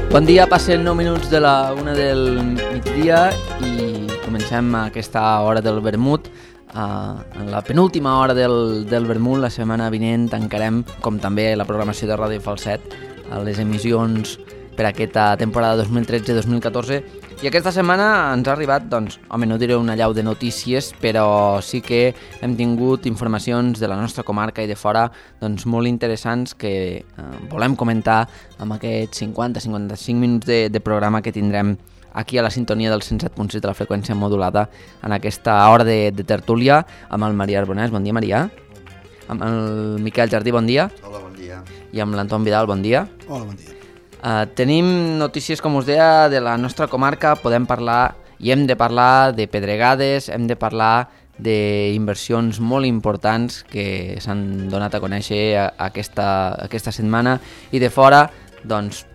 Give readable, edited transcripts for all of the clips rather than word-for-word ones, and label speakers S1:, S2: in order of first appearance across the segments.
S1: Bon dia, passen 9 minuts de la 1 del migdia i comencem aquesta hora del vermut. En la penúltima hora del vermut, la setmana vinent tancarem, com també la programació de Ràdio Falset, les emissions per aquesta temporada 2013-2014. I aquesta setmana ens ha arribat, doncs, home, no diré una llau de notícies, però sí que hem tingut informacions de la nostra comarca i de fora, doncs, molt interessants que volem comentar amb aquests 50-55 minuts de programa que tindrem aquí a la sintonia del 107.6 de la freqüència modulada en aquesta hora de tertúlia amb el Marià Arbonès. Bon dia, Marià. Amb el Miquel Jardí, bon dia.
S2: Hola, bon dia.
S1: I amb l'Anton Vidal, bon dia.
S3: Hola, bon dia.
S1: Tenim notícies, com us deia, de la nostra comarca. Podem parlar i hem de parlar de pedregades, hem de parlar d'inversions molt importants que s'han donat a conèixer aquesta setmana. I de fora, doncs,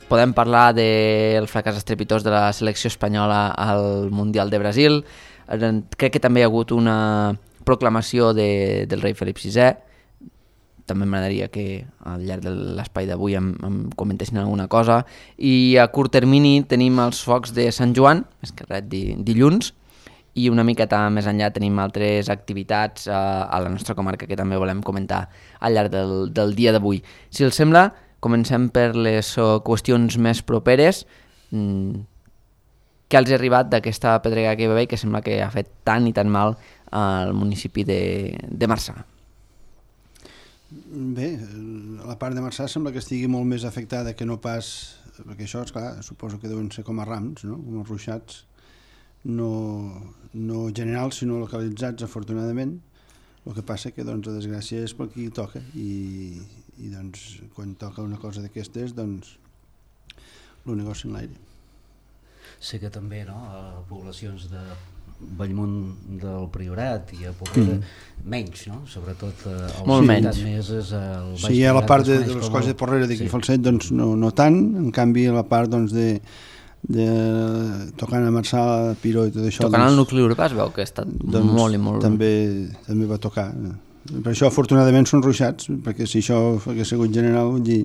S1: podem parlar del fracàs estrepitós de la selecció espanyola al Mundial de Brasil. Crec que també hi ha hagut una proclamació del rei Felip VI. També m'agradaria que al llarg de l'espai d'avui em comentessin alguna cosa. I a curt termini tenim els focs de Sant Joan, és que res, dilluns, i una miqueta més enllà tenim altres activitats a la nostra comarca que també volem comentar al llarg del dia d'avui. Si els sembla, comencem per les qüestions més properes. Què els ha arribat d'aquesta pedrega que hi va haver i que sembla que ha fet tant i tan mal al municipi de Marçà?
S3: Bé, la part de Marçà sembla que estigui molt més afectada que no pas, perquè això, esclar, suposo que deuen ser com a rams, no? Com a ruixats, no generals, sinó localitzats, afortunadament. El que passa que, doncs, la desgràcia és per qui toca i doncs, quan toca una cosa d'aquestes, doncs, el negoci en l'aire.
S4: Sé que també, no?, a poblacions de Bellmunt del Priorat i a Porrera menys, no? Sobretot
S1: molt menys.
S4: Més és el Baix
S3: Sí, a la part de les coses de Porrera d'aquí Falset, doncs no tant, en canvi a la part doncs, de tocant a Marçà, Piró i tot això...
S1: Tocant al nucli urbà es veu que ha estat doncs, molt i molt...
S3: També va tocar. Per això afortunadament són ruixats, perquè si això hagués sigut general, vull dir,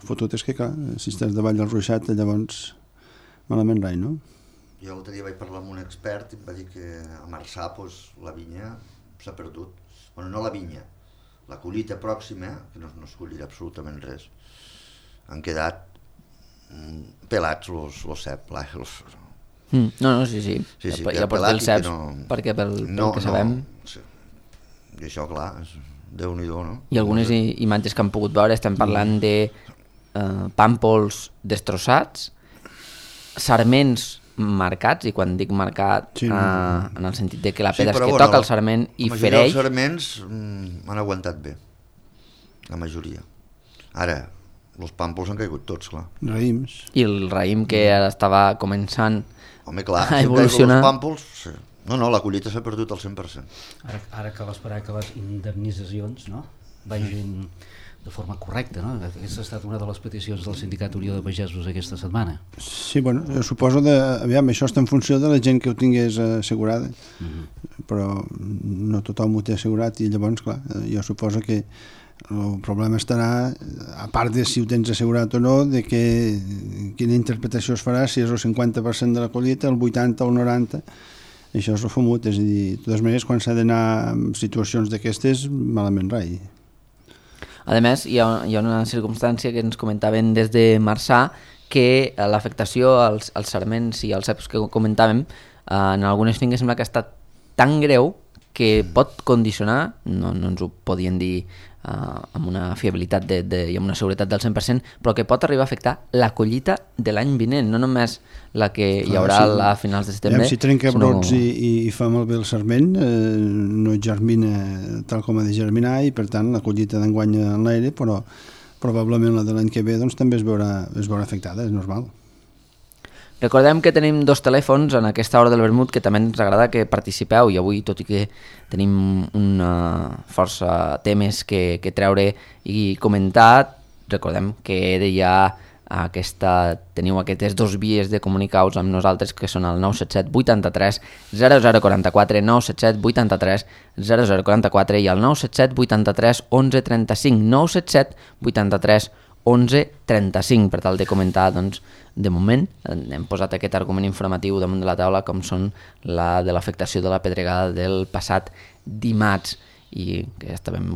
S3: fotut és que clar, si estàs davall del ruixat, llavors malament rai, no?
S2: Jo l'altre dia vaig parlar amb un expert i em va dir que a Marçà doncs, la vinya s'ha perdut. Bueno, no la vinya, la collita pròxima, que no es collirà absolutament res. Han quedat pelats els cep.
S1: No, sí.
S2: Sí,
S1: ja pots dir els ceps, perquè pel que sabem...
S2: Sí. I això, clar, és Déu-n'hi-do, no?
S1: I algunes imatges que han pogut veure, estem parlant de pàmpols destrossats, sarments marcats, i quan dic marcat sí, en el sentit de que la pedra és que toca el sarment i fereix.
S2: Els sarments han aguantat bé, la majoria. Ara, els pàmpols han caigut tots, clar.
S3: Raïms.
S1: I el raïm que ara estava començant a
S2: Els
S1: evolucionar.
S2: pàmpols, sí. No, la collita s'ha perdut al 100%.
S4: Ara cal esperar que les indemnitzacions, no?, vagin de forma correcta, no? Aquesta ha estat una de les peticions del Sindicat Unió de Pagesos aquesta setmana.
S3: Sí, bueno, jo suposo aviam, això està en funció de la gent que ho tingués assegurada, però no tothom ho té assegurat i llavors, clar, jo suposo que el problema estarà, a part de si ho tens assegurat o no, de quina interpretació es farà, si és el 50% de la collita, el 80 o el 90%, això és el fumut, és a dir, de totes maneres, quan s'ha d'anar en situacions d'aquestes, malament rai.
S1: A més, hi ha una circumstància que ens comentaven des de Marçà, que l'afectació als sarments i als ceps que comentàvem en algunes finques sembla que ha estat tan greu que pot condicionar, no ens ho podien dir amb una fiabilitat i amb una seguretat del 100%, però que pot arribar a afectar la collita de l'any vinent, no només la que hi haurà a finals de setembre.
S3: Si trenca brots i fa malbé el sarment, no germina tal com ha de germinar i per tant la collita d'enguany en l'aire, però probablement la de l'any que ve doncs, també es veurà afectada, és normal.
S1: Recordem que tenim 2 telèfons en aquesta hora del vermut que també ens agrada que participeu i avui, tot i que tenim una força temes que treure i comentar, recordem que teniu aquestes 2 vies de comunicar-vos amb nosaltres que són el 977 83 0044, 977 83 0044 i el 977 83 11 35, 977 83 11.35, per tal de comentar, doncs, de moment, hem posat aquest argument informatiu damunt de la taula, com són la de l'afectació de la pedregada del passat dimarts, i que estàvem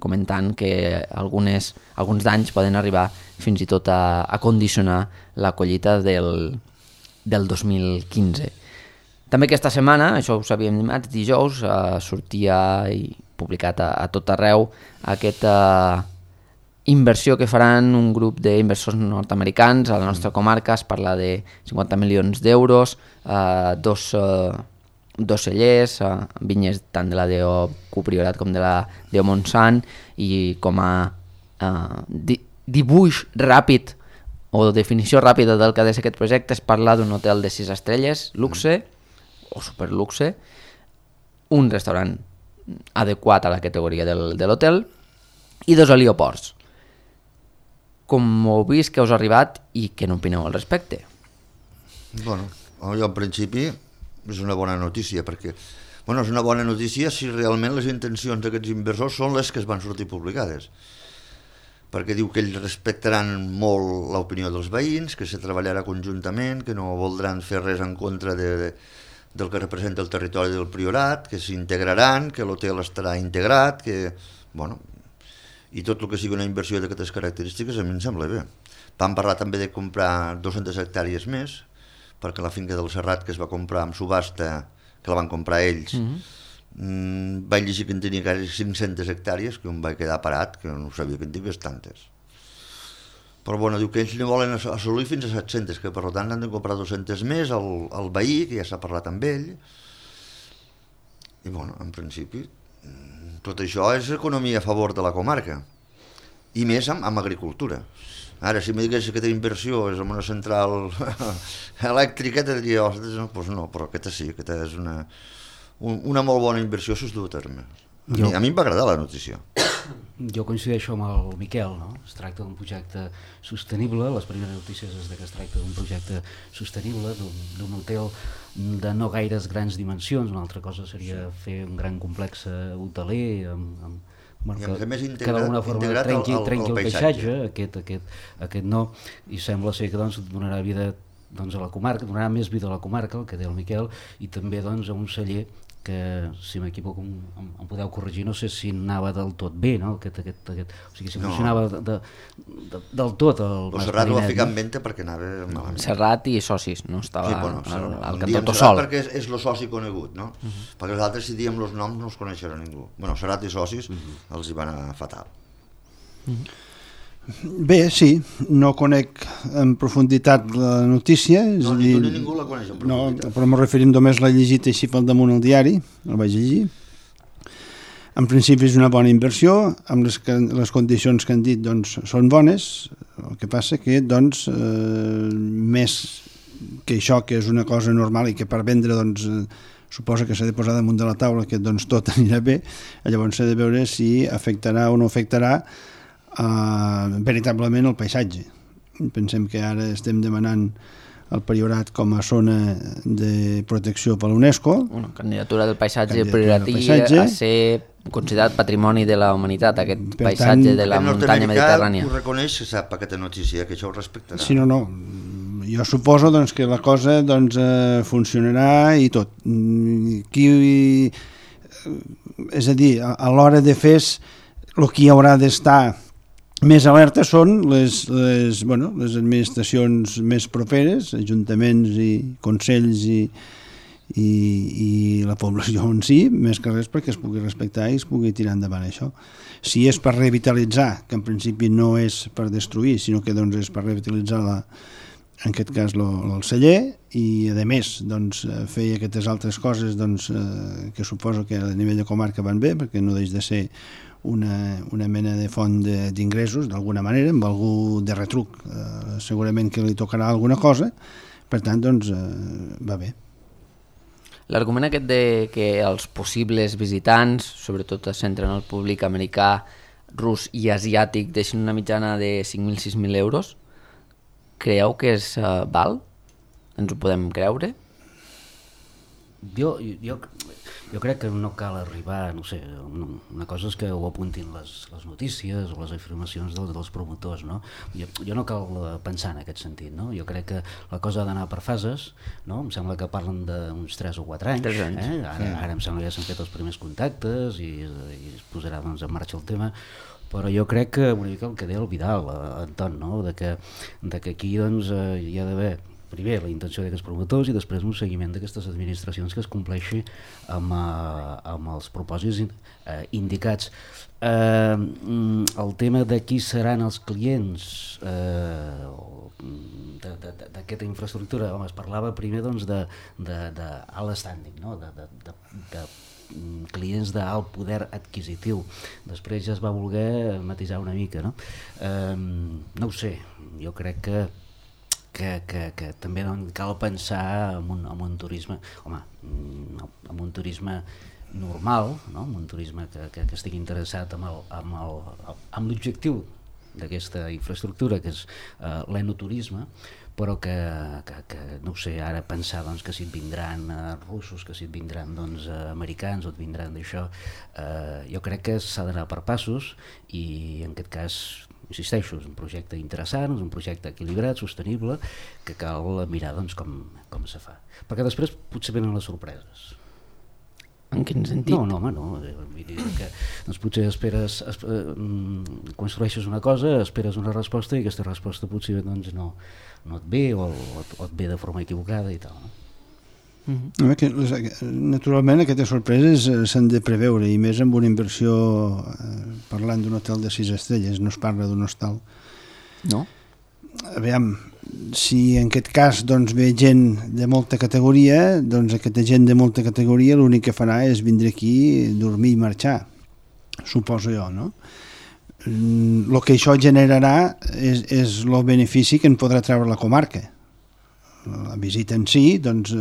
S1: comentant que alguns danys poden arribar fins i tot a condicionar la collita del 2015. També aquesta setmana, això ho sabíem dimarts, dijous, sortia i publicat a tot arreu aquesta inversió que faran un grup d'inversors nord-americans a la nostra comarca. Es parla de 50 milions d'euros, dos cellers, vinyes tant de la DO Priorat com de la DO Montsant, i com a dibuix ràpid o definició ràpida del que ha de ser aquest projecte, es parla d'un hotel de 6 estrelles, luxe o superluxe, un restaurant adequat a la categoria de l'hotel i 2 helioports. Com heu vist, que us ha arribat i què n'opineu al respecte?
S2: Bueno, jo en principi és una bona notícia, perquè és una bona notícia si realment les intencions d'aquests inversors són les que es van sortir publicades, perquè diu que ells respectaran molt l'opinió dels veïns, que se treballarà conjuntament, que no voldran fer res en contra del que representa el territori del Priorat, que s'integraran, que l'hotel estarà integrat, que, i tot el que sigui una inversió d'aquestes característiques a mi em sembla bé. Vam parlar també de comprar 200 hectàrees més, perquè la finca del Serrat, que es va comprar amb subhasta, que la van comprar ells, vaig llegir que en tenia quasi 500 hectàrees, que em vaig quedar parat, que no sabia que en tingués tantes. Però diu que ells ne volen assolir fins a 700, que per tant han de comprar 200 més al veí, que ja s'ha parlat amb ell. I en principi tot això és economia a favor de la comarca, i més amb agricultura. Ara, si me digués que aquesta inversió és en una central elèctrica, te diria, doncs no, però aquesta sí, aquesta és una molt bona inversió si es du a terme. A mi em va agradar la notícia.
S4: Jo coincideixo amb el Miquel, no? Es tracta d'un projecte sostenible, les primeres notícies és que es tracta d'un projecte sostenible, d'un hotel de no gaires grans dimensions. Una altra cosa seria fer un gran complex hoteler que d'alguna forma trenqui el paisatge, aquest no, i sembla ser que donarà vida a la comarca, donarà més vida a la comarca, el que deia el Miquel, i també a un celler que, si m'equivoco, em podeu corregir, no sé si anava del tot bé, no? O sigui, si funcionava del tot el Mas
S2: Serrat ho va
S4: Marinet,
S2: ficar en venda perquè anava malament.
S1: Serrat i socis, no? Estava al cantó
S2: sol. Perquè és el soci conegut, no? Perquè els altres, si diem els noms, no els coneixerà ningú. Serrat i socis els hi van anar fatal.
S3: Bé, sí, no conec en profunditat la notícia.
S2: No, ningú la coneix en profunditat.
S3: No, però m'ho referim només l'he llegit així pel damunt al diari, el vaig llegir. En principi és una bona inversió, amb les condicions que han dit són bones, el que passa que més que això, que és una cosa normal i que per vendre suposa que s'ha de posar damunt de la taula, que tot anirà bé, llavors s'ha de veure si afectarà o no afectarà veritablement el paisatge. Pensem que ara estem demanant el Priorat com a zona de protecció per l'UNESCO.
S1: Una candidatura del paisatge prioratí a ser considerat patrimoni de la humanitat, aquest paisatge de la muntanya mediterrània.
S2: Ho reconeix, que sap aquesta notícia, que això ho respectarà.
S3: Sí, no. Jo suposo que la cosa funcionarà i tot. És a dir, a l'hora de fer el que hi haurà d'estar més alerta són les administracions més properes, ajuntaments i consells i la població en si, més que res perquè es pugui respectar i es pugui tirar endavant això. Si és per revitalitzar, que en principi no és per destruir, sinó que és per revitalitzar en aquest cas el celler, i a més fer aquestes altres coses que suposo que a nivell de comarca van bé, perquè no deix de ser una mena de font d'ingressos d'alguna manera, amb algú de retruc segurament que li tocarà alguna cosa, per tant va bé.
S1: L'argument aquest de que els possibles visitants, sobretot es centren en el públic americà, rus i asiàtic, deixin una mitjana de 5.000-6.000 euros, creieu que és val? Ens ho podem creure?
S4: Jo Jo crec que no cal arribar, no sé, una cosa és que ho apuntin les notícies o les afirmacions dels promotors, no? Jo no cal pensar en aquest sentit, no? Jo crec que la cosa ha d'anar per fases, no? Em sembla que parlen d'uns 3 o 4 anys,
S1: 3 anys.
S4: Ara em sembla que ja s'han fet els primers contactes i es posarà doncs, en marxa el tema, però jo crec que una mica el que deia el Vidal, Anton, no? de que aquí doncs, hi ha d'haver primer la intenció d'aquests promotors i després un seguiment d'aquestes administracions que es compleixi amb els propòsits indicats. El tema de qui seran els clients d'aquesta infraestructura, home, es parlava primer doncs, d'alt standing, no? de clients d'alt poder adquisitiu. Després ja es va voler matisar una mica, no? No ho sé, jo crec que també cal pensar en un turisme, home, en un turisme normal, no? En un turisme que estigui interessat amb l'objectiu d'aquesta infraestructura, que és l'enoturisme, però que no ho sé, ara pensar doncs, que si et vindran russos, que si et vindran doncs, americans o et vindran d'això, jo crec que s'ha d'anar per passos i en aquest cas, insisteixo, és un projecte interessant, és un projecte equilibrat, sostenible, que cal mirar doncs, com se fa. Perquè després potser venen les sorpreses.
S1: En quin sentit?
S4: No, home, no. Vull dir que doncs potser esperes, construeixes una cosa, esperes una resposta i aquesta resposta potser doncs, no et ve o et ve de forma equivocada i tal. No?
S3: Naturalment aquestes sorpreses s'han de preveure i més amb una inversió, parlant d'un hotel de 6 estrelles, no es parla d'un hostal.
S1: No?
S3: Aviam, si en aquest cas doncs, ve gent de molta categoria, doncs aquesta gent de molta categoria l'únic que farà és vindre aquí, dormir i marxar, suposo jo, no? El que això generarà és el benefici que en podrà treure la comarca. La visita en si, doncs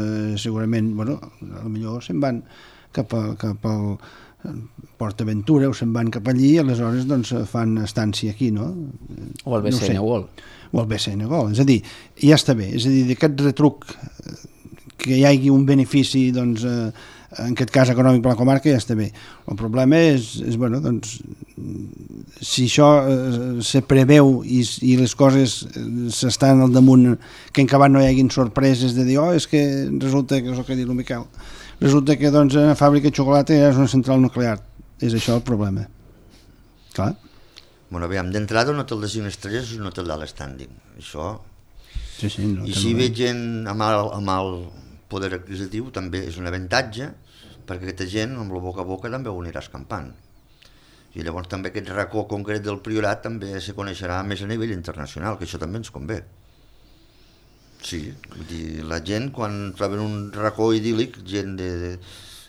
S3: segurament, bueno, potser se'n van cap al PortAventura o se'n van cap allí i aleshores doncs, fan estància aquí, no?
S1: O al BCN World.
S3: O al BCN World, és a dir, ja està bé, és a dir, d'aquest retruc que hi hagi un benefici, doncs, en aquest cas econòmic per la comarca, ja està bé. El problema és bueno, doncs, si això se preveu i les coses s'estan al damunt, que en acabat no hi hagin sorpreses de dir, és que resulta que és el que diu el Miquel, resulta que doncs, una fàbrica de xocolata és una central nuclear. És això el problema. Clar.
S2: Bueno, aviam, d'entrada un hotel de 5 estrelles és un hotel d'alt standing. Això...
S3: Sí, no,
S2: I si ve gent amb el poder adquisitiu també és un avantatge, perquè aquesta gent amb el boca a boca també ho anirà escampant. I llavors també aquest racó concret del Priorat també se coneixerà més a nivell internacional, que això també ens convé. Sí, vull dir, la gent quan troben un racó idíl·lic, gent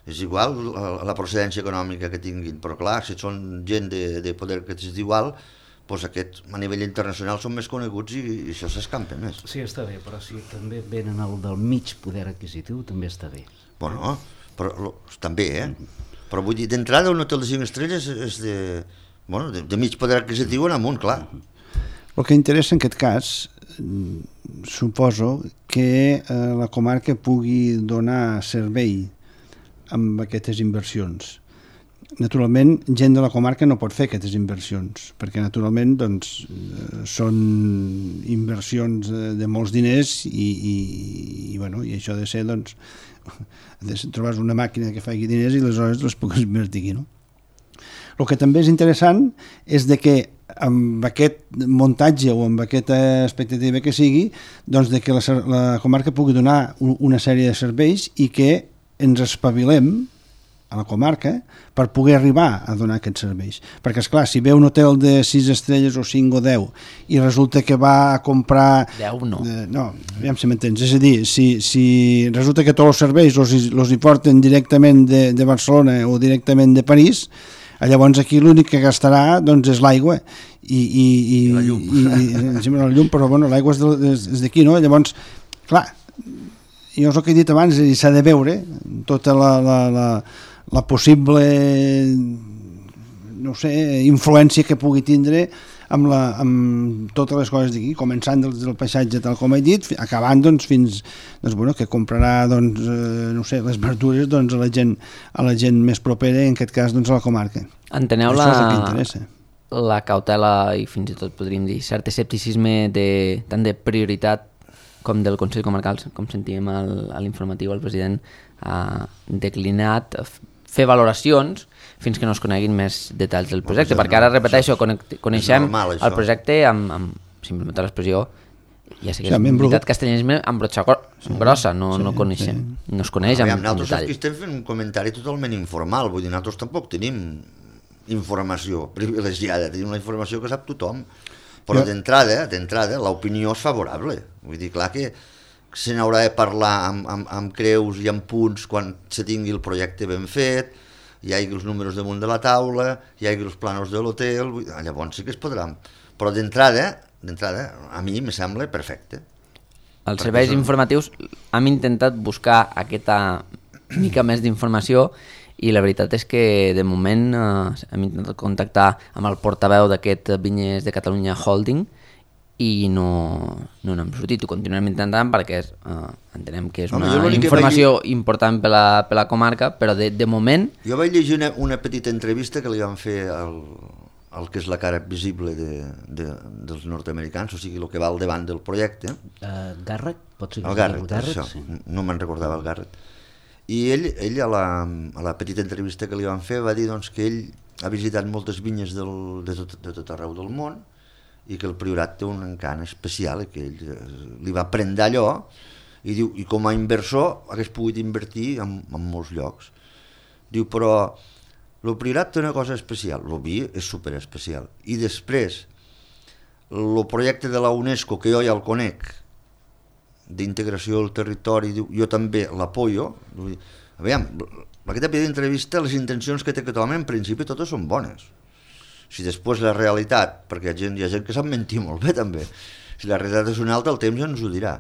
S2: és igual la procedència econòmica que tinguin, però clar, si són gent de poder adquisitiu alt, doncs aquests a nivell internacional són més coneguts i això s'escampa més.
S4: Sí, està bé, però si també venen el del mig poder adquisitiu, també està bé.
S2: Bueno, però també, Però vull dir, d'entrada un hotel de 5 estrelles és de mig poder adquisitiu en amunt, clar.
S3: El que interessa en aquest cas, suposo que la comarca pugui donar servei amb aquestes inversions. Naturalment, gent de la comarca no pot fer aquestes inversions, perquè naturalment doncs, són inversions de molts diners i això ha de ser, doncs, trobar una màquina que faci diners i aleshores les pugues invertir aquí, no? El que també és interessant és de que amb aquest muntatge o amb aquesta expectativa que sigui, doncs de que la comarca pugui donar una sèrie de serveis i que ens espavilem a la comarca per poder arribar a donar aquests serveis. Perquè, esclar, si ve un hotel de 6 estrelles o 5 o 10 i resulta que va a comprar...
S1: 10 no.
S3: No, aviam si m'entens. És a dir, si resulta que tots els serveis els hi porten directament de Barcelona o directament de París, llavors aquí l'únic que gastarà doncs, és l'aigua i
S2: la llum.
S3: La llum, però bueno, l'aigua és d'aquí, no? Llavors, clar, jo és el que he dit abans, s'ha de veure tota la possible, no sé, influència que pugui tindre amb totes les coses d'aquí, començant del paisatge tal com he dit, acabant doncs, fins que comprarà no sé, les verdures doncs, a la gent més propera, en aquest cas doncs, a la comarca.
S1: Enteneu
S3: això és el que interessa.
S1: La cautela i fins i tot podríem dir cert escepticisme tant de prioritat com del Consell Comarcal, com sentíem a l'informatiu, el president ha declinat fer valoracions fins que no es coneguin més detalls del projecte, perquè ara, repeteixo, coneixem el projecte amb, si em permeteu l'expressió, ja sé que és veritat castellanisme amb brotxa grossa, no coneixem, no es coneix amb detall.
S2: Nosaltres aquí estem fent un comentari totalment informal, vull dir, nosaltres tampoc tenim informació privilegiada, tenim la informació que sap tothom, però d'entrada l'opinió és favorable, vull dir, clar que se n'haurà de parlar amb creus i amb punts quan se tingui el projecte ben fet, hi hagi els números damunt de la taula, hi hagi els planos de l'hotel, llavors sí que es podran, però d'entrada a mi me sembla perfecte.
S1: Els serveis informatius hem intentat buscar aquesta mica més d'informació i la veritat és que de moment hem intentat contactar amb el portaveu d'aquest Vinyes de Catalunya Holding i no n'hem sortit, ho continuem intentant perquè entenem que és una informació important per la comarca, però de moment...
S2: Jo vaig llegir una petita entrevista que li van fer el que és la cara visible dels nord-americans, o sigui, el que va al davant del projecte.
S4: Garrett? Pot ser
S2: el Garrett, això, sí. No me'n recordava el Garrett. I ell a la petita entrevista que li van fer va dir doncs, que ell ha visitat moltes vinyes de tot arreu del món i que el Priorat té un encant especial i que ell li va prendre allò i diu, i com a inversor hagués pogut invertir en molts llocs. Diu, però el Priorat té una cosa especial, el vi és superespecial, i després el projecte de la UNESCO, que jo ja el conec, d'integració del territori, diu, jo també l'apoyo. Aviam, aquesta petita entrevista, les intencions que té aquest home en principi totes són bones. Si després la realitat, perquè hi ha gent que sap mentir molt bé també, si la realitat és una altra, el temps ja ens ho dirà,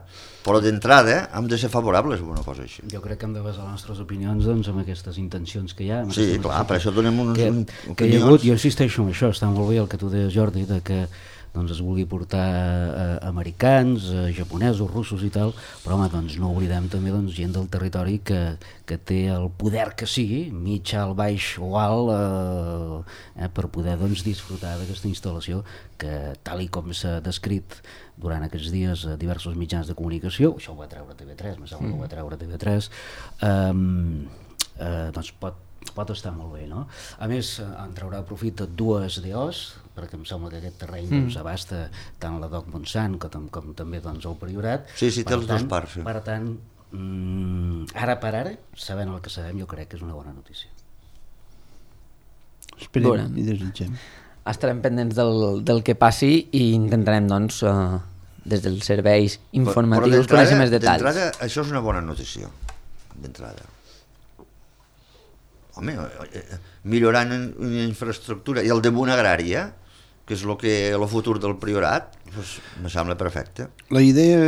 S2: però d'entrada hem de ser favorables a una cosa així.
S4: Jo crec que hem de basar les nostres opinions doncs, amb aquestes intencions que hi ha.
S2: Sí, clar, per això donem unes opinions.
S4: Que hi ha hagut, jo insisteixo en això, està molt bé el que tu deies, Jordi, de que doncs es vulgui portar americans, japonesos, russos i tal, però home, doncs no oblidem també doncs, gent del territori que té el poder que sigui, mig, alt, baix o alt, per poder doncs, disfrutar d'aquesta instal·lació que, tal i com s'ha descrit durant aquests dies a diversos mitjans de comunicació, això ho va treure TV3, me sembla que ho va treure TV3, doncs pot estar molt bé, no? A més, en traurà profit de dues DOs, perquè em sembla que aquest terreny doncs, abasta tant la Doc Montsant com també doncs, el Priorat.
S2: Sí, té els dos parts. Sí.
S4: Per tant, ara per ara, sabent el que sabem, jo crec que és una bona notícia.
S3: Esperem i desitgem.
S1: Estarem pendents del que passi i intentarem, doncs, des dels serveis informatius conèixer més detalls.
S2: D'entrada, això és una bona notícia, d'entrada. Home, millorant una infraestructura i el damunt agrària, que és el futur del Priorat, doncs, me sembla perfecte.
S3: La idea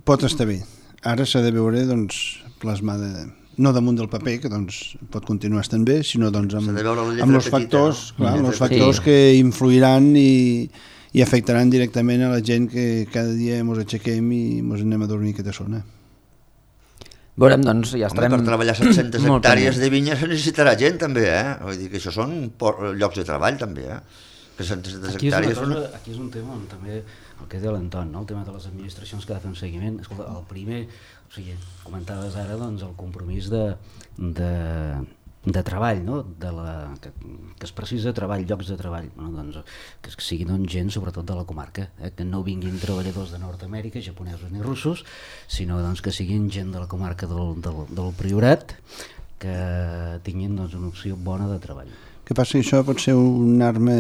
S3: pot estar bé. Ara s'ha de veure doncs, plasmada, no damunt del paper, que doncs, pot continuar estant bé, sinó doncs, amb els factors, no? Clar, els factors que influiran i afectaran directament a la gent que cada dia ens aixequem i ens anem a dormir a aquesta zona.
S1: Veurem, doncs, ja estarem...
S2: Per treballar 700 hectàrees de vinya se necessitarà gent, també, Vull dir que això són llocs de treball, també, Que 700 hectàrees...
S4: Aquí és un tema on també, el que deia l'Anton, no? El tema de les administracions que ha de fer un seguiment. Escolta, el primer, o sigui, comentaves ara, doncs, el compromís de treball, no? Que es precisa treball, llocs de treball, no? Doncs, que siguin doncs, gent sobretot de la comarca, que no vinguin treballadors de Nord-Amèrica, japonesos ni russos, sinó doncs, que siguin gent de la comarca del Priorat, que tinguin doncs, una opció bona de treball.
S3: Que passa que això pot ser una arma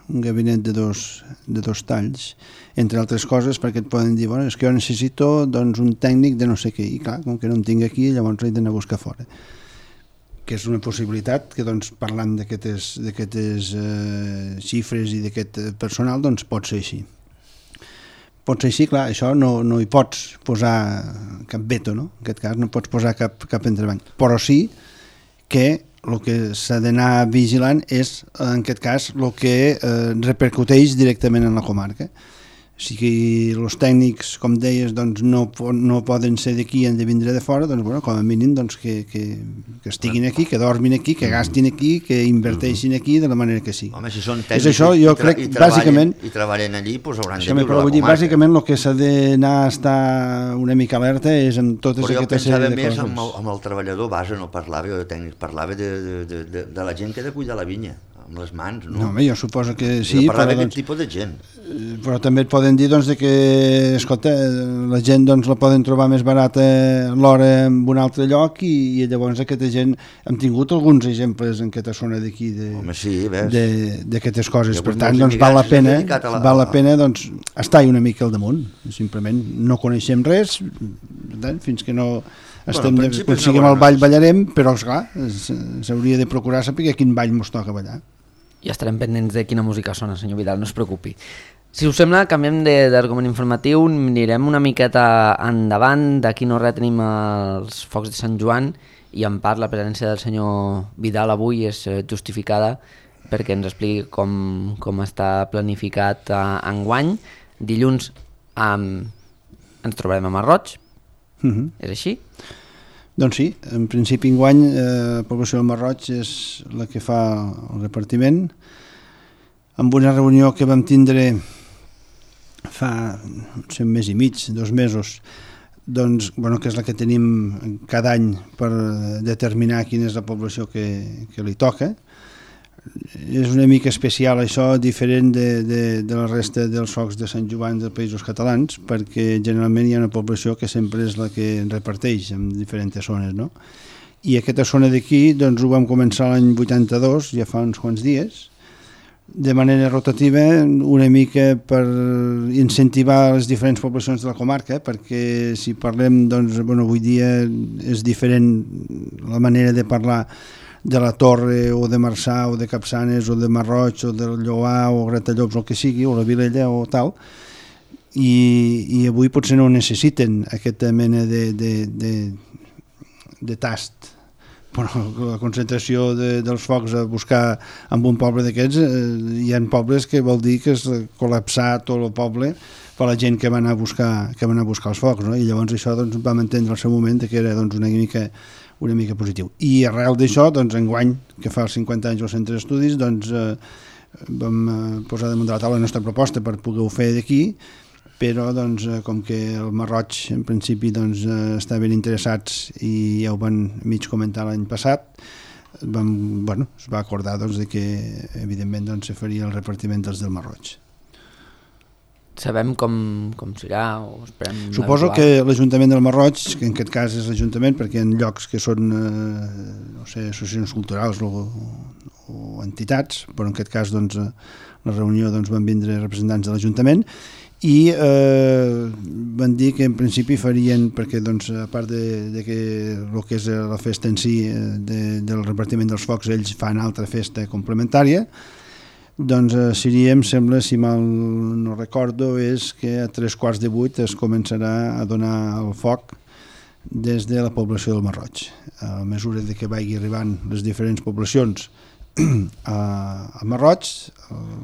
S3: un gabinet de dos talls, entre altres coses, perquè et poden dir, bueno, és que jo necessito doncs, un tècnic de no sé què, i clar, com que no en tinc aquí, llavors l'he d'anar a buscar fora. Que és una possibilitat que, doncs, parlant d'aquestes xifres i d'aquest personal, doncs pot ser així. Pot ser així, clar, això no hi pots posar cap veto, no? En aquest cas no pots posar cap entrebanc, però sí que el que s'ha d'anar vigilant és, en aquest cas, el que repercuteix directament en la comarca. Si els tècnics, com deies, doncs no poden ser d'aquí, han de vindre de fora, doncs, bueno, com a mínim doncs, que estiguin aquí, que dormin aquí, que gastin aquí, que inverteixin aquí de la manera que sigui.
S2: Home, si són tècnics
S3: això, jo crec, bàsicament,
S2: i treballen allí, doncs hauran de viure la
S3: comarca. Bàsicament el que s'ha d'anar a estar una mica alerta és en totes aquestes sèrie de coses.
S2: Però jo pensava més amb el treballador base, no parlava de tècnics, parlava de la gent que ha de cuidar la vinya, amb les mans, no?
S3: No, home, jo suposo que sí,
S2: però d'aquest tipus de gent.
S3: Però també et poden dir doncs, que, escolta, la gent doncs, la poden trobar més barata l'hora en un altre lloc i llavors aquesta gent, hem tingut alguns exemples en aquesta zona d'aquí d'aquestes coses, per tant doncs, val la pena doncs, estar-hi una mica al damunt, simplement no coneixem res, fins que no aconseguim el ball ballarem, però esclar, s'hauria de procurar saber quin ball ens toca ballar.
S1: Ja estarem pendents de quina música sona, senyor Vidal, no es preocupi. Si us sembla, canviem d'argument informatiu, anirem una miqueta endavant, d'aquí no res tenim els focs de Sant Joan i en part la presència del senyor Vidal avui és justificada perquè ens expliqui com està planificat enguany. Dilluns ens trobarem a Marroig, és així?
S3: Doncs sí, en principi enguany la població del Marroig és la que fa el repartiment. Amb una reunió que vam tindre fa un mes i mig, 2 mesos, doncs, bueno, que és la que tenim cada any per determinar quina és la població que li toca. És una mica especial això, diferent de la resta dels focs de Sant Joan dels Països Catalans, perquè generalment hi ha una població que sempre és la que reparteix en diferents zones, no? I aquesta zona d'aquí doncs, ho vam començar l'any 82, ja fa uns quants dies, de manera rotativa, una mica per incentivar les diferents poblacions de la comarca, perquè si parlem, doncs, bueno, avui dia és diferent la manera de parlar de la Torre o de Marçà o de Capçanes o de Marroig o del Lloar o Gratallops o el que sigui, o la Vilella o tal, i avui potser no necessiten aquesta mena de tast, però la concentració dels focs a buscar en un poble d'aquests, hi ha pobles que vol dir que és col·lapsar tot el poble per la gent que va anar a buscar els focs, no? I llavors això doncs, vam entendre al seu moment que era doncs, una mica positiu. I arrel d'això, doncs, enguany, que fa els 50 anys al Centre d'Estudis, doncs, vam posar damunt de la taula la nostra proposta per poder-ho fer d'aquí, però doncs, com que el Marroig en principi doncs, estaven interessats i ja ho van mig comentar l'any passat, es va acordar doncs, que evidentment doncs, se faria el repartiment dels del Marroig.
S1: Sabem com serà o esperem...
S3: Suposo que l'Ajuntament del Marroig, que en aquest cas és l'Ajuntament perquè hi ha llocs que són no sé, associacions culturals o entitats, però en aquest cas doncs, la reunió doncs, van vindre representants de l'Ajuntament i van dir que en principi farien, perquè doncs, a part de que el que és la festa en si del repartiment dels focs, ells fan altra festa complementària, doncs seria, em sembla, si mal no recordo, és que a 7:45 es començarà a donar el foc des de la població del Marroig. A mesura que vagi arribant les diferents poblacions a Marroig,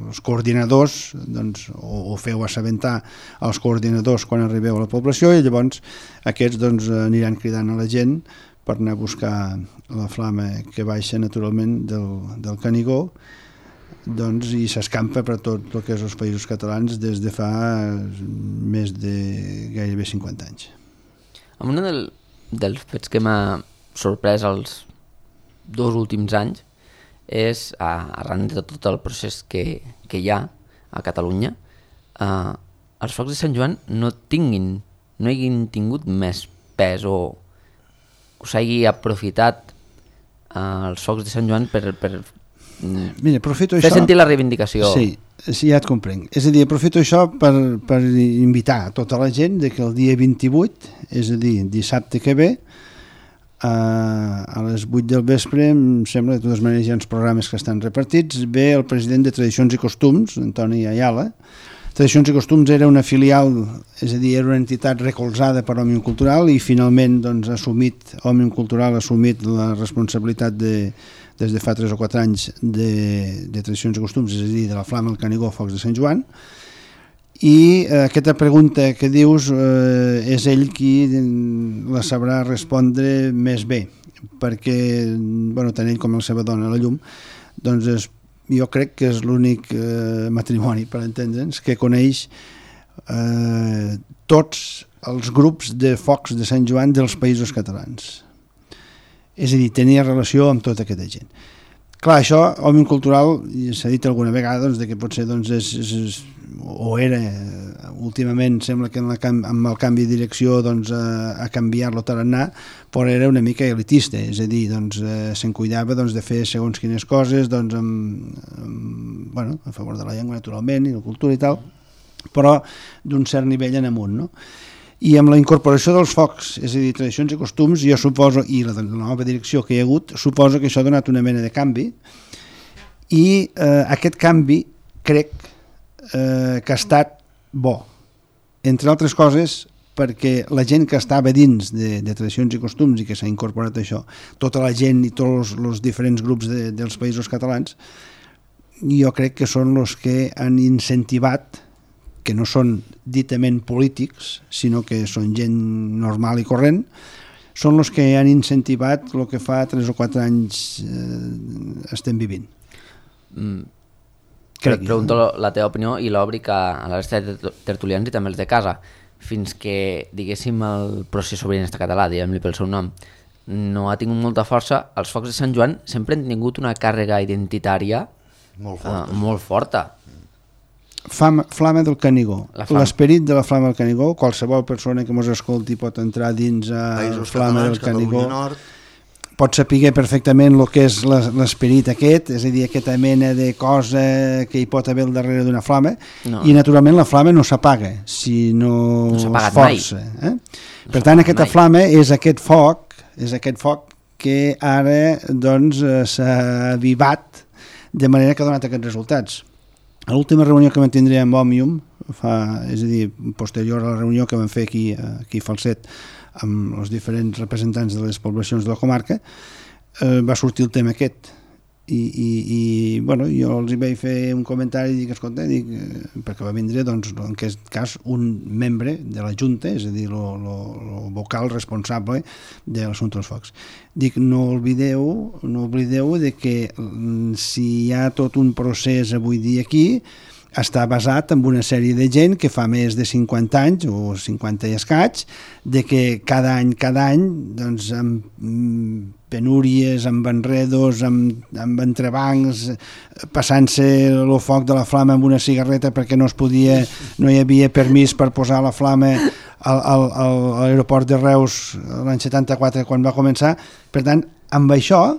S3: els coordinadors doncs, o feu assabentar als coordinadors quan arribeu a la població i llavors aquests doncs, aniran cridant a la gent per anar a buscar la flama que baixa naturalment del Canigó, doncs, i s'escampa per tot el que és els Països Catalans des de fa més de gairebé 50 anys.
S1: Un dels fets que m'ha sorprès els 2 últims anys és, arran de tot el procés que hi ha a Catalunya, els focs de Sant Joan no hagin tingut més pes o s'hagi aprofitat els focs de Sant Joan per
S3: Mira, aprofito
S1: fer sentir la reivindicació.
S3: Sí, ja et comprenc. És a dir, aprofito això per invitar tota la gent que el dia 28, és a dir, dissabte que ve, a les 8 del vespre, em sembla, de totes maneres hi ha uns programes que estan repartits, ve el president de Tradicions i Costums, Antoni Ayala, Tradicions i Costums era una filial, és a dir, era una entitat recolzada per Òmnium Cultural i finalment doncs, Òmnium Cultural ha assumit la responsabilitat des de fa 3 o 4 anys de Tradicions i Costums, és a dir, de la Flama, el Canigó, Focs de Sant Joan. I aquesta pregunta que dius és ell qui la sabrà respondre més bé, perquè tant ell com la seva dona, la Llum, doncs jo crec que és l'únic matrimoni, per entendre'ns, que coneix tots els grups de focs de Sant Joan dels països catalans. És a dir, tenia relació amb tota aquesta gent. Clar, això, Òmnium Cultural, s'ha dit alguna vegada doncs, que potser o era, últimament sembla que amb el canvi de direcció a canviar-lo tarannà, però era una mica elitista, és a dir, se'n cuidava de fer segons quines coses, a favor de la llengua naturalment i la cultura i tal, però d'un cert nivell en amunt, no? I amb la incorporació dels focs, és a dir, Tradicions i Costums, jo suposo, i la nova direcció que hi ha hagut, suposo que això ha donat una mena de canvi, i aquest canvi crec que ha estat bo, entre altres coses perquè la gent que estava dins de Tradicions i Costums i que s'ha incorporat això, tota la gent i tots els diferents grups dels països catalans, jo crec que són els que han incentivat, que no són ditament polítics, sinó que són gent normal i corrent, són els que han incentivat el que fa 3 o 4 anys estem vivint.
S1: Pregunto la teva opinió i l'obric a la resta de tertulians i també els de casa. Fins que, diguéssim, el procés sobiranista català, diguem-li pel seu nom, no ha tingut molta força, els focs de Sant Joan sempre han tingut una càrrega identitària molt forta.
S3: Flama del Canigó. L'esperit de la Flama del Canigó, qualsevol persona que mos escolti pot entrar dins a Flama del Canigó, pot saber perfectament el que és l'esperit aquest, és a dir, aquesta mena de cosa que hi pot haver al darrere d'una flama, i naturalment la flama no s'apaga si no es força. Per tant, aquesta flama és aquest foc que ara s'ha avivat de manera que ha donat aquests resultats. A l'última reunió que mantindré amb Òmnium, és a dir, posterior a la reunió que vam fer aquí a Falset amb els diferents representants de les poblacions de la comarca, va sortir el tema aquest. I jo els hi vaig fer un comentari i dic, escolta, perquè va vindre, doncs, en aquest cas, un membre de la Junta, és a dir, el vocal responsable de l'assumpte dels focs. Dic, no oblideu de que si hi ha tot un procés avui dia aquí, està basat en una sèrie de gent que fa més de 50 anys, o 50 i escaig, de que cada any, doncs, amb penúries, amb enredos, amb entrebancs, passant-se el foc de la flama amb una cigarreta perquè no hi havia permís per posar la flama a l'aeroport de Reus l'any 74 quan va començar. Per tant, amb això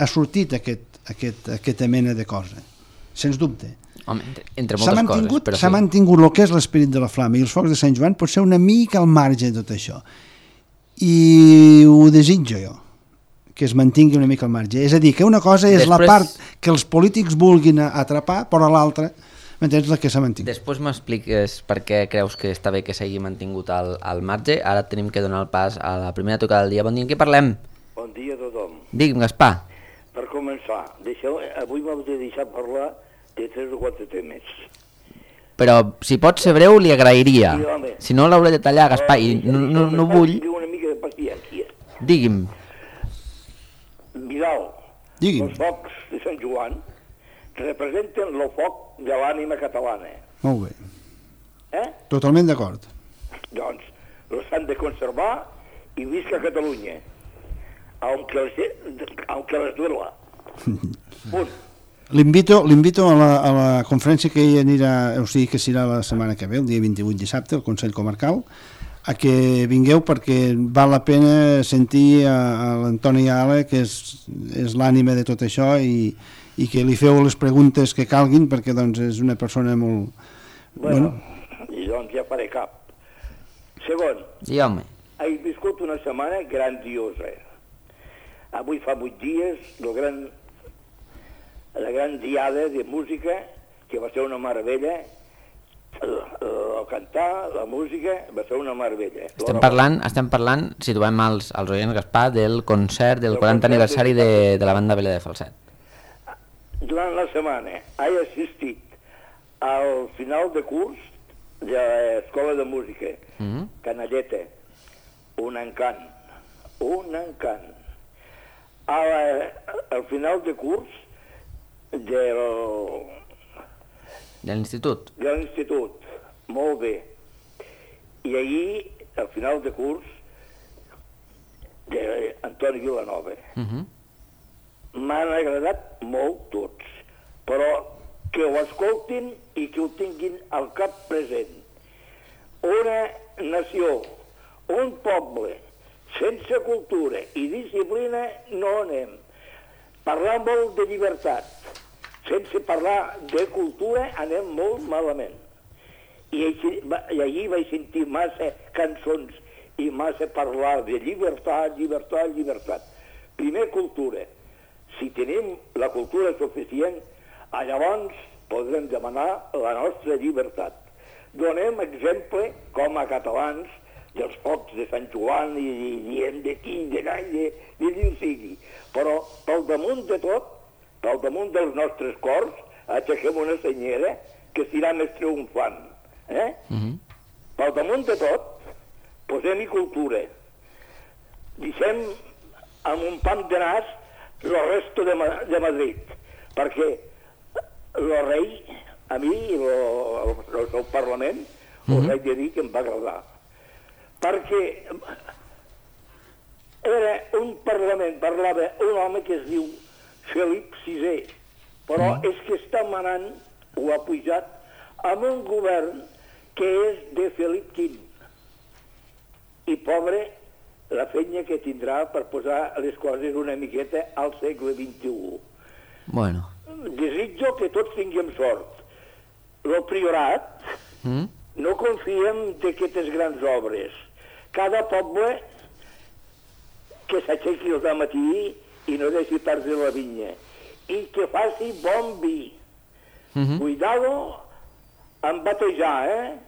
S3: ha sortit aquesta mena de cosa, sens dubte.
S1: Home, entre moltes coses, però
S3: s'ha mantingut el que és l'esperit de la flama i els focs de Sant Joan pot ser una mica al marge de tot això, i ho desitjo jo, que es mantingui una mica al marge. És a dir, que una cosa és la part que els polítics vulguin atrapar, però l'altra, m'entens, la que s'ha mantingut.
S1: Després m'expliques per què creus que està bé que s'hagi mantingut al marge. Ara tenim que donar el pas a la primera tocada del dia. Bon dia, en què parlem?
S5: Bon dia a tothom.
S1: Digue'm, Gaspar.
S5: Per començar, avui m'heu de deixar parlar de 3 o 4 temes.
S1: Però si pot ser breu li agrairia. Sí, si no l'hauré de tallar, Gaspar, i no vull...
S5: Una mica de paciència.
S1: Digui'm.
S5: Vidal, els focs de Sant Joan representen el foc de l'ànima catalana.
S3: Molt bé. Totalment d'acord.
S5: Doncs els han de conservar i visca Catalunya, aunque les duela. Punt.
S3: L'invito a la conferència que hi anirà, o sigui que serà la setmana que ve, el dia 28 dissabte, al Consell Comarcal, a que vingueu perquè val la pena sentir a l'Antoni Ale, que és l'ànima de tot això, i que li feu les preguntes que calguin, perquè doncs és una persona molt...
S5: Bueno, i doncs ja faré cap. Segon,
S1: sí, home.
S5: He viscut una setmana grandiosa. Avui fa 8 dies, la gran diada de música, que va ser una meravella, el cantar, la música, va ser una meravella.
S1: Estem parlant, situem els oients, Gaspar, del concert del 40 aniversari de la banda Vela de Falset.
S5: Durant la setmana he assistit al final de curs de l'Escola de Música, Canalleta, un encant. Al final de curs de
S1: l'institut.
S5: De l'institut, molt bé. I ahir, al final de curs, d'Antoni Vilanova. M'han agradat molt tots, però que ho escoltin i que ho tinguin al cap present. Una nació, un poble, sense cultura i disciplina no anem. Parlar molt de llibertat, sense parlar de cultura anem molt malament. I allí vaig sentir massa cançons i massa parlar de llibertat. Primer, cultura. Si tenim la cultura suficient, llavors podrem demanar la nostra llibertat. Donem exemple, com a catalans, dels focs de Sant Joan i diem d'aquí, d'allà i d'on sigui. Però pel damunt de tot, pel damunt dels nostres cors, aixequem una senyera que serà més triomfant. Pel damunt de tot, posem-hi cultura. Deixem amb un pam de nas el resto de Madrid, perquè el rei, a mi, el seu Parlament, us haig de dir que em va agradar. Perquè era un Parlament, parlava un home que es diu Felip VI, però és que està manant, o ha pujat, amb un govern que és de Felip V. I pobre, la feina que tindrà per posar les coses una miqueta al segle XXI.
S1: Bueno.
S5: Desitjo que tots tinguem sort. El priorat no confiem d'aquestes grans obres. Cada poble que s'aixequi el matí i no deixi perdre la vinya. I que faci bon vi. Cuidado amb batejar,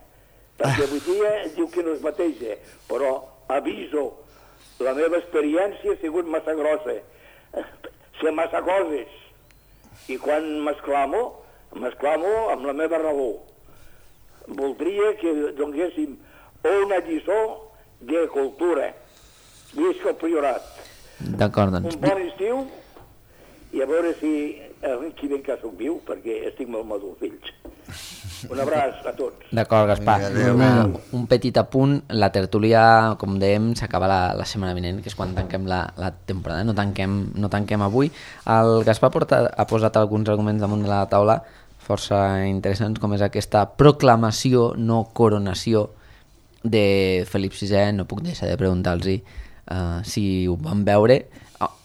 S5: perquè avui dia diu que no es bateja, però aviso, la meva experiència ha sigut massa grossa. Sé massa coses. I quan m'esclamo amb la meva raó. Voldria que donéssim una lliçó de cultura. Visca el priorat.
S1: D'acord, doncs.
S5: Un bon estiu i a veure si qui ben que soc viu, perquè estic molt madur, fills. Un abraç a tots.
S1: D'acord, Gaspar. Un petit apunt, la tertúlia, com dèiem, s'acaba la setmana vinent, que és quan tanquem la temporada, no tanquem avui. El Gaspar ha posat alguns arguments damunt de la taula força interessants, com és aquesta proclamació, no coronació de Felip VI. No puc deixar de preguntar-los si ho van veure.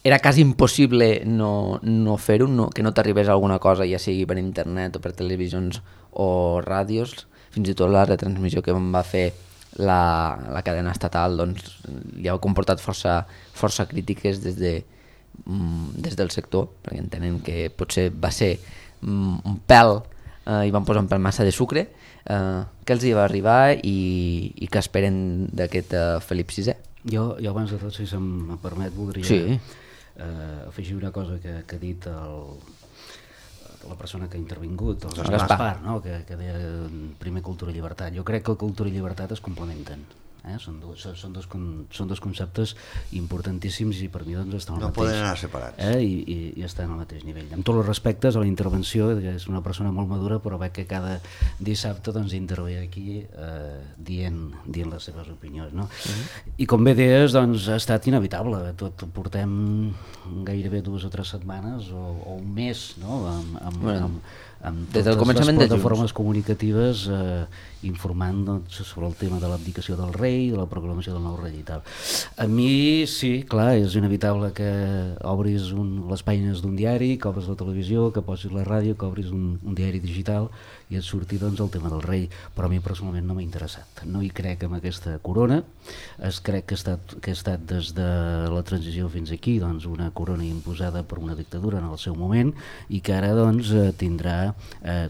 S1: Era quasi impossible no fer-ho, que no t'arribés alguna cosa, ja sigui per internet o per televisions o ràdios. Fins i tot la retransmissió que va fer la cadena estatal doncs, li ha comportat força crítiques des del sector, perquè entenen que potser va ser un pèl i van posar un pèl massa de sucre. Què els hi va arribar i què esperen d'aquest Felip VI?
S4: Jo abans de tot, si se'm permet, voldria afegir una cosa que ha dit la persona que ha intervingut, el Gaspar, no? que deia primer cultura i llibertat. Jo crec que cultura i llibertat es complementen. Són dos conceptes importantíssims i per mi doncs estan al mateix.
S2: No poden anar separats.
S4: I estan al mateix nivell. Amb tots els respectes a la intervenció, que és una persona molt madura, però veig que cada dissabte doncs, intervé aquí dient les seves opinions. No? I com bé deies, doncs, ha estat inevitable. Tot portem gairebé 2 o 3 setmanes o un mes, no? amb totes les plataformes comunicatives informant doncs, sobre el tema de l'abdicació del rei, de la proclamació del nou rei i tal. A mi sí, clar, és inevitable que obris les pàgines d'un diari, que obris la televisió, que posis la ràdio, que obris un diari digital i et surti doncs, el tema del rei, però a mi personalment no m'ha interessat. No hi crec en aquesta corona, crec que ha estat des de la transició fins aquí doncs, una corona imposada per una dictadura en el seu moment i que ara doncs, tindrà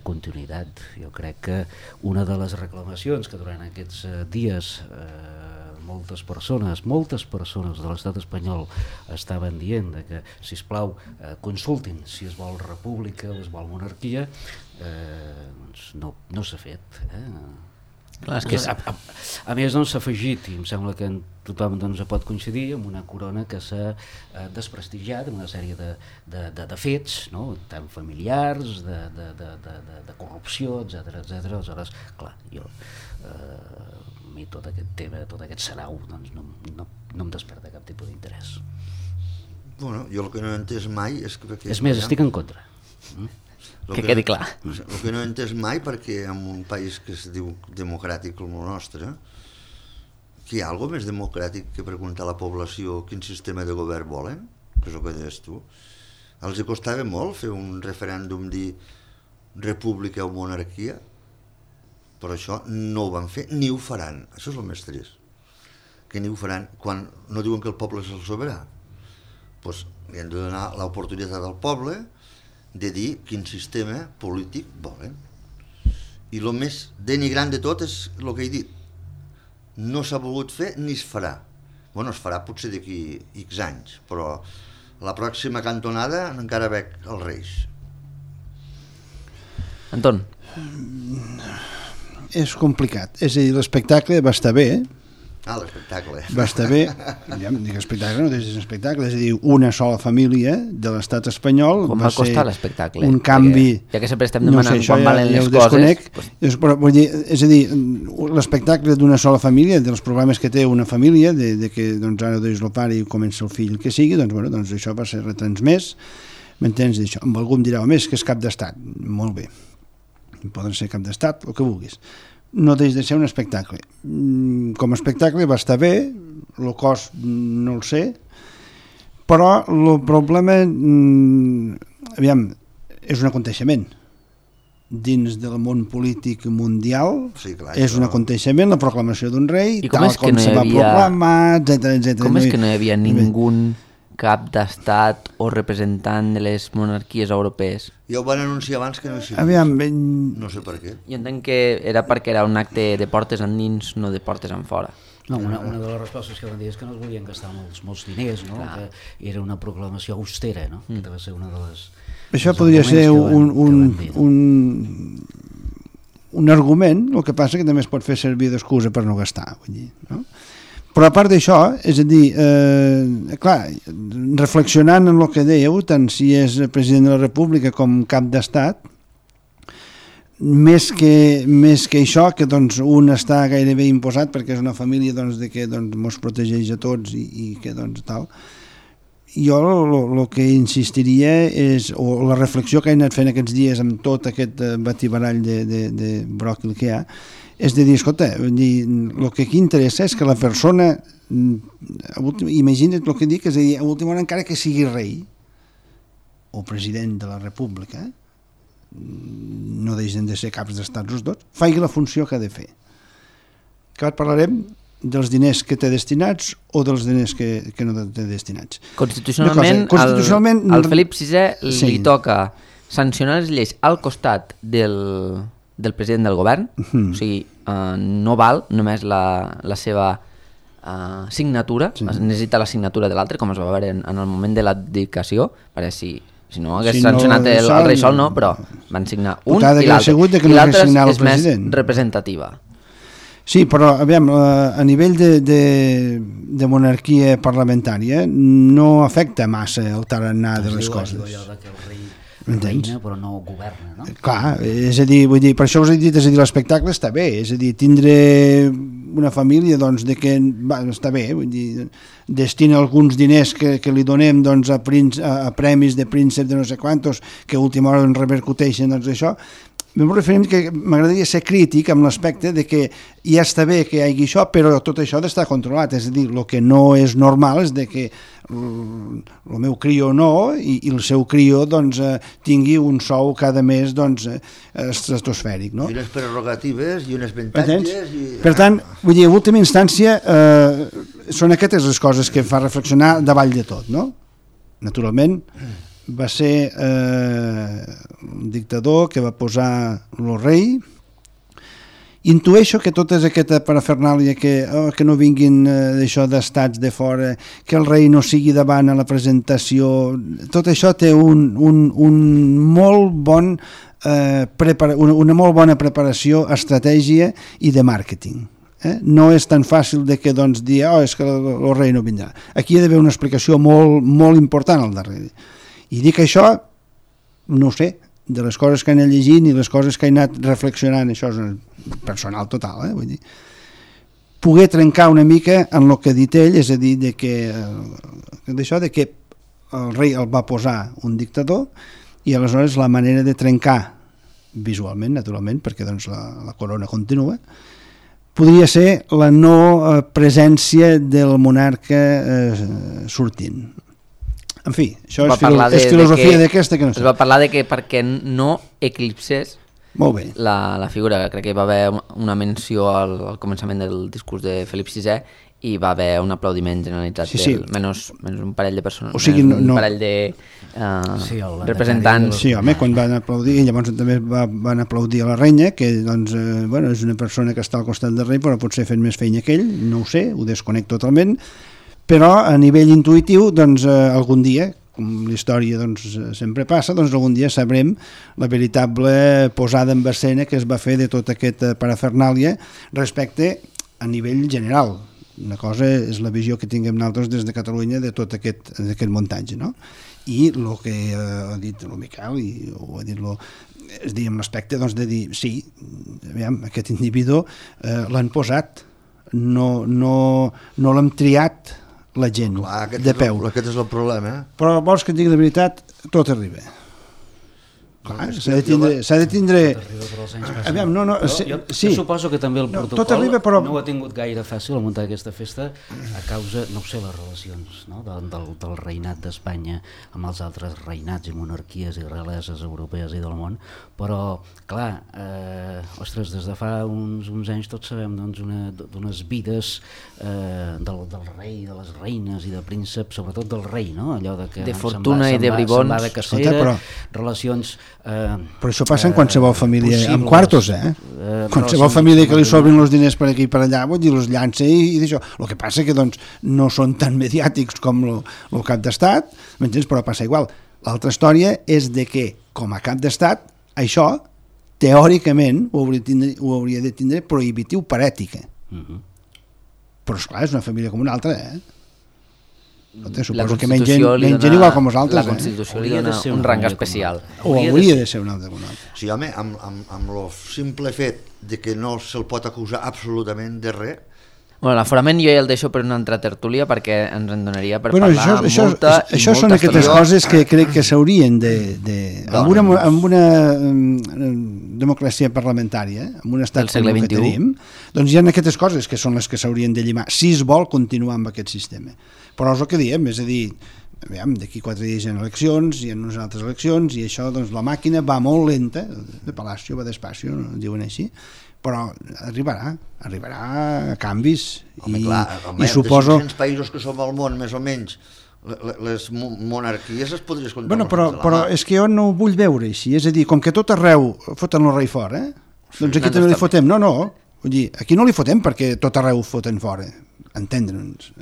S4: continuïtat. Jo crec que una de les reclamacions que durant aquests dies moltes persones de l'estat espanyol estaven dient de que, sisplau, consultin si es vol república o es vol monarquia, doncs no s'ha fet.
S1: Clar, és que
S4: a més, s'ha afegit, i em sembla que tothom pot coincidir, amb una corona que s'ha desprestigiat amb una sèrie de fets, no? Tant familiars, de corrupció, etc. Aleshores, clar, jo a mi tot aquest tema, tot aquest sarau, doncs no em desperta cap tipus d'interès.
S2: Bueno, jo el que no he entès mai és que...
S4: És més, estic en contra.
S1: Que quedi clar.
S2: El que no he entès mai, perquè en un país que es diu democràtic com el nostre, que hi ha alguna més democràtic que preguntar a la població quin sistema de govern volen, que és el que deies tu. Els costava molt fer un referèndum, dir república o monarquia, però això no ho van fer ni ho faran. Això és el més trist, que ni ho faran quan no diuen que el poble és el soberà. Doncs li han de donar l'oportunitat al poble de dir quin sistema polític volen. I el més denigrant de tot és el que he dit. No s'ha volgut fer ni es farà. Bueno, es farà potser d'aquí X anys, però la pròxima cantonada encara veig els Reis.
S1: Anton.
S3: És complicat. És a dir, l'espectacle va estar bé,
S2: L'espectacle.
S3: Va estar bé, ja em dic espectacle, no és espectacle, és a dir, una sola família de l'estat espanyol.
S1: Com va costar l'espectacle?
S3: Un canvi...
S1: Ja que sempre estem demanant quan valen les coses...
S3: Però, vull dir, és a dir, l'espectacle d'una sola família, dels problemes que té una família, de que doncs, ara deix el pare i comença el fill que sigui, doncs, bueno, doncs això va ser retransmès, m'entens d'això? Amb algú em dirà, més que és cap d'estat, molt bé, poden ser cap d'estat, el que vulguis. No deix de ser un espectacle. Com a espectacle va estar bé, el cost no el sé, però el problema, aviam, és un aconteixement. Dins del món polític mundial, sí, clar, és un aconteixement, la proclamació d'un rei, tal com se va proclamar, etc.
S1: Com és que no hi havia ningú cap d'estat o representant de les monarquies europees?
S2: Ja ho van anunciar abans que no hi sigui.
S3: Aviam,
S2: no sé per què.
S1: Jo entenc que era perquè era un acte de portes endins, no de portes enfora.
S4: No, una de les respostes que van dir és que no es volien gastar molts diners, no? Que era una proclamació austera, no? Que va ser una de les...
S3: Això podria ser un argument, el que passa que també es pot fer servir d'excusa per no gastar, vull dir, no? Però a part d'això, és a dir, clar, reflexionant en el que dèieu, tant si és president de la República com cap d'estat, més que això, que doncs, un està gairebé imposat perquè és una família doncs, de que doncs, mos protegeix a tots i que doncs, tal. Jo el que insistiria és, o la reflexió que he anat fent aquests dies amb tot aquest batibarall de bròquil que hi ha, és de dir, escolta, el que aquí interessa és que la persona, imagina't el que dic, és a dir, a última hora encara que sigui rei o president de la República, no deixen de ser caps d'estats els dos, faci la funció que ha de fer. Que ara parlarem dels diners que té destinats o dels diners que no té destinats.
S1: Constitucionalment al Felip VI li toca sancionar les lleis al costat del president del govern, o sigui, no val només la seva signatura, necessita la signatura de l'altre, com es va veure en el moment de l'abdicació, perquè si no hagués sancionat el rei sol, no, però van signar un i l'altre és més representativa.
S3: Sí, però aviam, a nivell de monarquia parlamentària no afecta massa el tarannà de les coses.
S4: Reina, però no governa, no?
S3: Clar, és a dir, vull dir, per això us he dit, és a dir, l'espectacle està bé, és a dir, tindre una família, doncs, de que està bé, vull dir, destina alguns diners que li donem, doncs, a premis de príncep de no sé quantos, que a última hora repercuteixen, doncs, això. M'ho referim que m'agradaria ser crític amb l'aspecte de que ja està bé que hi hagi això, però tot això ha d'estar controlat, és a dir, el que no és normal és de que el meu crio no i el seu crio doncs, tingui un sou cada mes doncs, estratosfèric. No?
S2: I unes prerrogatives i unes avantatges...
S3: Per tant, vull dir, en última instància són aquestes les coses que fa reflexionar davall de tot, no? Naturalment, va ser un dictador que va posar el rei. Intueixo que tota aquesta parafernàlia que no vinguin d'això d'estats de fora, que el rei no sigui davant a la presentació, tot això té una molt bona preparació, estratègia i de màrqueting. No és tan fàcil de que dir és que el rei no vindrà. Aquí hi ha d'haver una explicació molt important al darrere. I dic això, no sé, de les coses que he anat llegint i les coses que he anat reflexionant, això és personal total, vull dir, poder trencar una mica en el que ha dit ell, és a dir, d'això de que el rei el va posar un dictador i aleshores la manera de trencar visualment, naturalment, perquè doncs la corona continua, podria ser la no presència del monarca sortint. En fi, això és filosofia d'aquesta que no sé.
S1: Es va parlar de que perquè no eclipsés
S3: molt bé.
S1: La figura, crec que hi va haver una menció al començament del discurs de Felip VI i va haver un aplaudiment generalitzat,
S3: sí.
S1: menys un parell de persones,
S3: o sigui,
S1: un parell de representants.
S3: Sí, home, quan van aplaudir, i llavors també van aplaudir a la reina, que doncs, és una persona que està al costat del rei, però potser fent més feina que ell, no ho sé, ho desconec totalment, però a nivell intuïtiu, doncs, algun dia, com la història doncs, sempre passa, doncs algun dia sabrem la veritable posada en escena que es va fer de tota aquesta parafernàlia respecte a nivell general. Una cosa és la visió que tinguem nosaltres des de Catalunya de tot aquest muntatge, no? I el que ha dit el Miquel i ho ha dit és dir, amb l'aspecte doncs, de dir, sí, aviam, aquest individu l'han posat, no l'hem triat la gent.
S2: Clar,
S3: de peu.
S2: Aquest és el problema.
S3: Però vols que et digui la veritat, tot arriba. Clar, s'ha de tindre... Aviam,
S4: jo suposo que també el protocol no ha tingut gaire fàcil a muntar aquesta festa a causa, no ho sé, les relacions del reinat d'Espanya amb els altres reinats i monarquies i realeses europees i del món, però, clar, ostres, des de fa uns anys tots sabem d'unes vides del rei, de les reines i de prínceps, sobretot del rei, no? Allò
S1: de fortuna i de bribons.
S4: Se'n va de cacera, relacions...
S3: Però això passa en qualsevol família, amb quartos, qualsevol família que li sobrin els diners per aquí i per allà, vull dir, els llança i d'això. El que passa que doncs, no són tan mediàtics com el cap d'estat, m'entens? Però passa igual. L'altra història és de que, com a cap d'estat, això, teòricament, ho hauria de tindre prohibitiu per ètica. Però, esclar, és una família com una altra, Suposo que mengen igual com nosaltres.
S1: La Constitució li dona un rang especial.
S3: O hauria de ser un altre.
S2: Sí, home, amb el simple fet de que no se'l pot acusar absolutament de res.
S1: Bueno, l'aforament jo ja el deixo per una altra tertúlia perquè ens en donaria per parlar molta
S3: això són aquestes coses que crec que s'haurien amb una democràcia parlamentària, amb un estat com el que tenim, doncs hi ha aquestes coses que són les que s'haurien de llimar, si es vol continuar amb aquest sistema. Però és el que diem, és a dir, d'aquí 4 dies hi ha eleccions, hi ha unes altres eleccions, i això, doncs, la màquina va molt lenta, de Palacio va despacio, no diuen així, però arribarà a canvis.
S2: Home, i suposo... De 500 països que som al món, més o menys, les monarquies es podries comptar.
S3: Bueno, però és que jo no ho vull veure així, és a dir, com que tot arreu foten el rei fora, doncs aquí també li fotem. No, vull dir, aquí no li fotem perquè tot arreu foten fora, entendre'ns,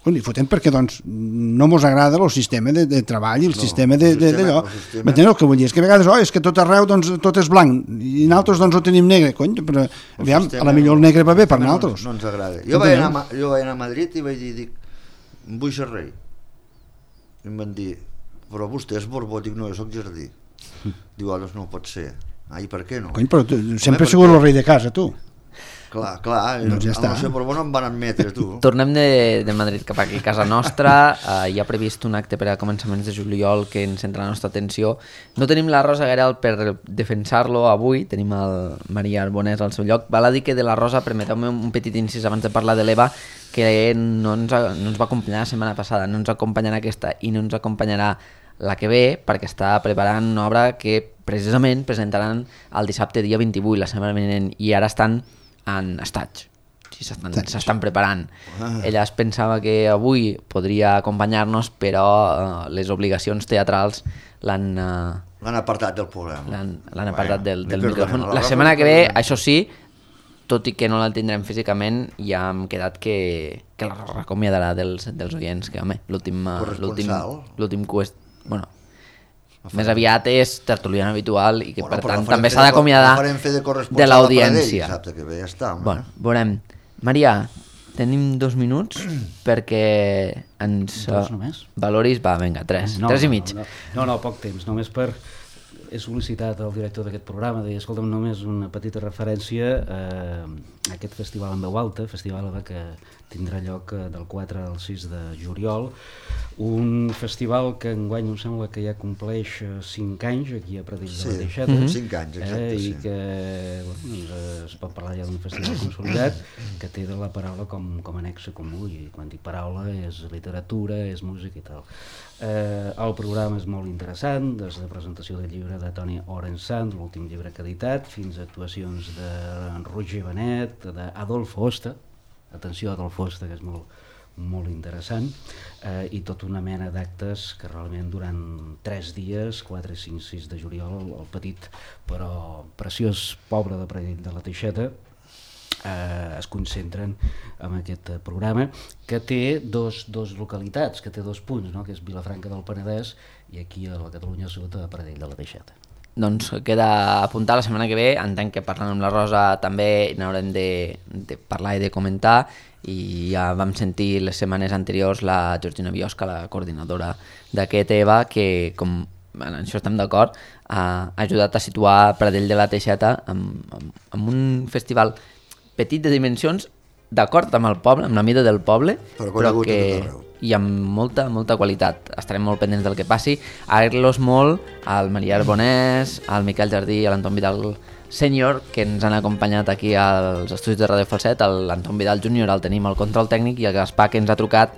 S3: li fotem perquè doncs, no mos agrada el sistema de treball i el sistema d'allò. M'enteneu el que vull dir? És que a vegades és que tot arreu doncs, tot és blanc i nosaltres doncs, ho tenim negre, però aviam, a la millor el negre va bé per nosaltres.
S2: No ens agrada. Jo vaig anar a Madrid i vaig dir, vull ser rei. I em van dir, però vostè és Borbó. Dic, no, jo soc Jardí. Diu, doncs no pot ser. I per què no?
S3: Però sempre has sigut el rei de casa, tu.
S2: Clar, doncs ja està. Però no em van admetre, tu.
S1: Tornem de Madrid cap aquí, a casa nostra. Hi ha previst un acte per a començaments de juliol que ens centra la nostra atenció. No tenim la Rosa Garel per defensar-lo avui, tenim el Maria Arbonès al seu lloc. Val a dir que de la Rosa, permeteu-me un petit incís abans de parlar de l'Eva, que no ens va acompanyar la setmana passada, no ens acompanyarà aquesta i no ens acompanyarà la que ve, perquè està preparant una obra que precisament presentaran el dissabte dia 28, la setmana vinent, i ara estan en estatge. si s'estan preparant. Ella es pensava que avui podria acompanyar-nos, però les obligacions teatrals l'han
S2: apartat del programa.
S1: L'han apartat del micròfon. La setmana que ve, això sí, tot i que no la tindrem físicament, ja hem quedat que la recomiadarà dels oients, que home, l'últim bueno, més aviat és tertuliana habitual i que per tant també s'ha d'acomiadar de l'audiència. Bueno, veurem. Maria, tenim 2 minuts perquè ens valoris... Va, vinga, 3 i mig.
S4: No, poc temps, només per... He sol·licitat al director d'aquest programa de dir, escolta'm, només una petita referència a aquest festival en veu alta, festival que tindrà lloc del 4 al 6 de juliol, un festival que enguany em sembla que ja compleix 5 anys aquí a Pradell de la Teixeta.
S2: 5 anys, exacte,
S4: i que es pot parlar ja d'un festival consolidat que té de la paraula com a nexe comú, i quan dic paraula és literatura, és música i tal. El programa és molt interessant, des de presentació del llibre de Toni Orensand, l'últim llibre que ha editat, fins a actuacions de Roger Benet, d'Adolfo Osta, atenció Adolfo Osta, que és molt interessant, i tota una mena d'actes que realment durant 3 dies, 4, 5, 6 de juliol, el petit però preciós poble de Pradell de la Teixeta, es concentren en aquest programa que té dos localitats, que té 2 punts, no? Que és Vilafranca del Penedès i aquí a la Catalunya Sud a Pradell de la Teixeta.
S1: Doncs queda apuntar la setmana que ve, entenc que parlant amb la Rosa també n'haurem de parlar i de comentar, i ja vam sentir les setmanes anteriors la Georgina Biosca, la coordinadora d'aquest EVA, que com en això estem d'acord, ha ajudat a situar Pradell de la Teixeta en un festival petit de dimensions, d'acord amb el poble, amb la mida del poble, però que i amb molta qualitat. Estarem molt pendents del que passi. Agrair-los molt al Maria Arbonès, al Miquel Jardí i a l'Anton Vidal Sènior, que ens han acompanyat aquí als estudis de Radio Falset. L'Anton Vidal Júnior el tenim al control tècnic, i el Gaspar, que ens ha trucat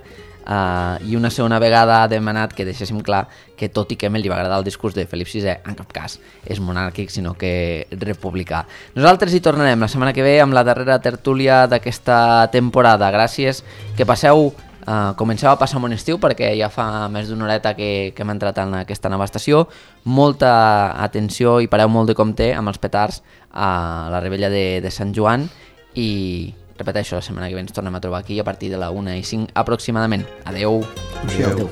S1: i una segona vegada ha demanat que deixéssim clar que, tot i que a ell li va agradar el discurs de Felip VI, en cap cas és monàrquic, sinó que republicà. Nosaltres hi tornarem la setmana que ve amb la darrera tertúlia d'aquesta temporada. Gràcies, que passeu, comenceu a passar un bon estiu, perquè ja fa més d'una horeta que hem entrat en aquesta nova estació. Molta atenció i pareu molt de compte amb els petards a la Revetlla de Sant Joan, i repeteixo, la setmana que ve ens tornem a trobar aquí a partir de la 1:05 aproximadament. Adeu.
S3: Adeu.